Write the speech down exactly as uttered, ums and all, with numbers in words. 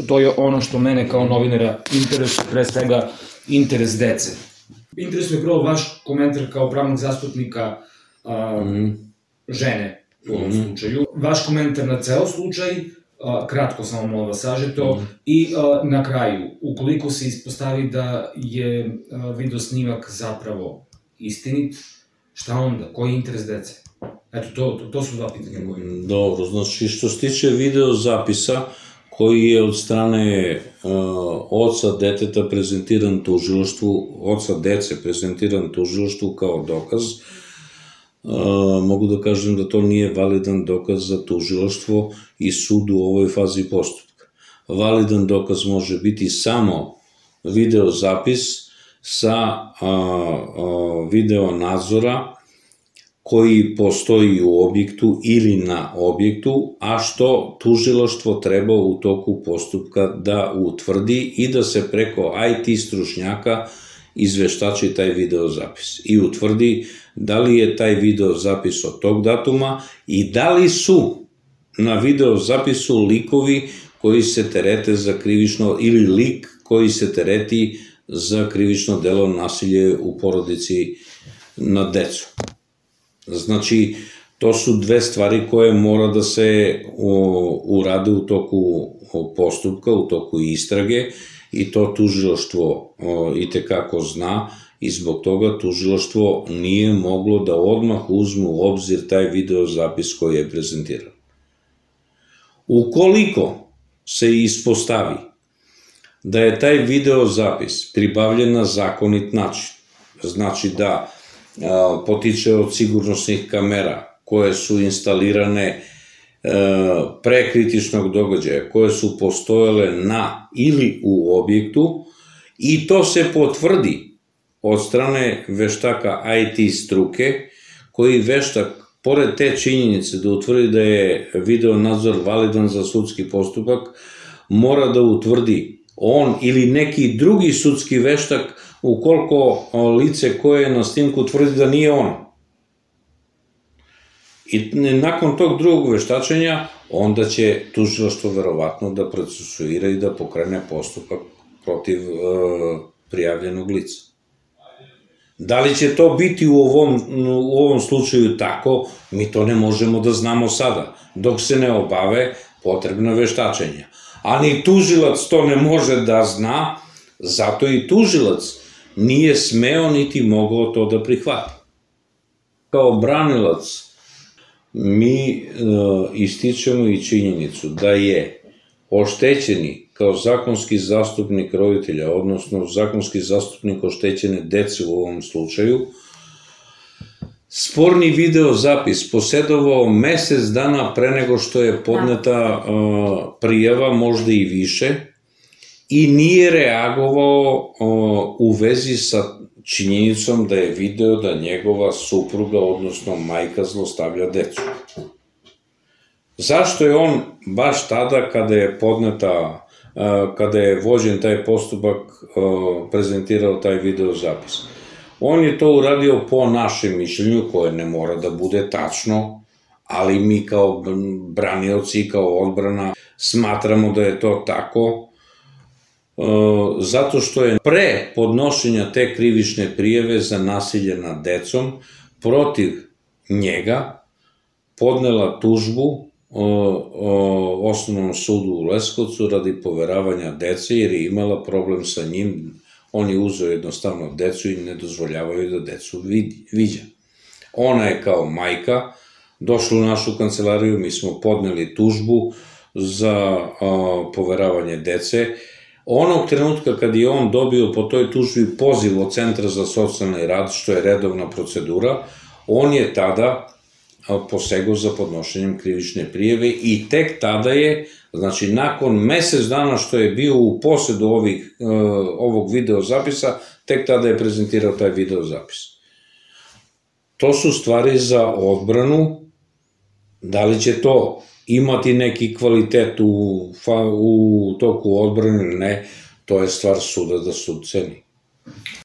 To je ono što mene kao novinara interesuje, pre svega interes dece. Interesuje prvo vaš komentar kao pravnog zastupnika žene u ovom slučaju. Vaš komentar na ceo slučaj, kratko samo molim vas sažeto, i na kraju, ukoliko se ispostavi da je video snimak zapravo istinit, šta onda? Koji je interes dece? Eto, to su dva pitanja koje... Dobro, znači što se tiče video zapisa koji je od strane oca deteta prezentiran tužilaštvu, oca dece prezentiran tužilaštvu kao dokaz, mogu da kažem da to nije validan dokaz za tužilaštvo i sud u ovoj fazi postupka. Validan dokaz može biti samo video zapis sa video nadzora koji postoji u objektu ili na objektu, a što tužilaštvo treba u toku postupka da utvrdi i da se preko I T stručnjaka izveštači taj video zapis i utvrdi da li je taj video zapis od tog datuma i da li su na video zapisu likovi koji se terete za krivično, ili lik koji se tereti za krivično delo nasilje u porodici nad decom. Znači, to su dve stvari koje mora da se urade u toku postupka, u toku istrage, i to tužilaštvo i tekako zna, i zbog toga tužilaštvo nije moglo da odmah uzme u obzir taj video zapis koji je prezentiran. Ukoliko se ispostavi da je taj video zapis pribavljen na zakonit način, znači da potiče od sigurnosnih kamera koje su instalirane pre kritičnog događaja, koje su postojale na ili u objektu, i to se potvrdi od strane veštaka I T struke, koji veštak, pored te činjenice da utvrdi da je video nadzor validan za sudski postupak, mora da utvrdi on ili neki drugi sudski veštak ukoliko lice koje je na snimku tvrdi da nije on. I nakon tog drugog veštačenja, onda će tužilaštvo verovatno da procesuira i da pokrene postupak protiv prijavljenog lica. Da li će to biti u ovom slučaju tako, mi to ne možemo da znamo sada, dok se ne obave potrebna veštačenja. A ni tužilac to ne može da zna, zato i tužilac nije smeo niti mogao to da prihvati. Kao branilac mi ističemo i činjenicu da je oštećeni kao zakonski zastupnik roditelja, odnosno zakonski zastupnik oštećene dece u ovom slučaju, sporni video zapis posedovao mesec dana pre nego što je podneta prijava, možda i više, i nije reagovao u vezi sa činjenicom da je video da njegova supruga, odnosno majka, zlostavlja decu. Zašto je on baš tada, kada je podneta, kada je vođen taj postupak, prezentirao taj video zapis? On je to uradio po našem mišljenju, koje ne mora da bude tačno, ali mi kao branioci, kao odbrana, smatramo da je to tako, zato što je pre podnošenja te krivične prijave za nasilje nad decom protiv njega podnela tužbu Osnovnom sudu u Leskovcu radi poveravanja dece, jer je imala problem sa njim. On je uzeo jednostavno decu i ne dozvoljavaju da decu viđa. Ona je kao majka došla u našu kancelariju, mi smo podneli tužbu za poveravanje dece. Onog trenutka kad je on dobio po toj tužbi poziv od Centra za socijalni rad, što je redovna procedura, on je tada posegao za podnošenjem krivične prijave i tek tada je, znači nakon mesec dana što je bio u posedu ovog video zapisa, tek tada je prezentirao taj video zapis. To su stvari za odbranu. Da li će to imati neki kvalitet u toku odbrane ili ne, to je stvar suda da sud ceni.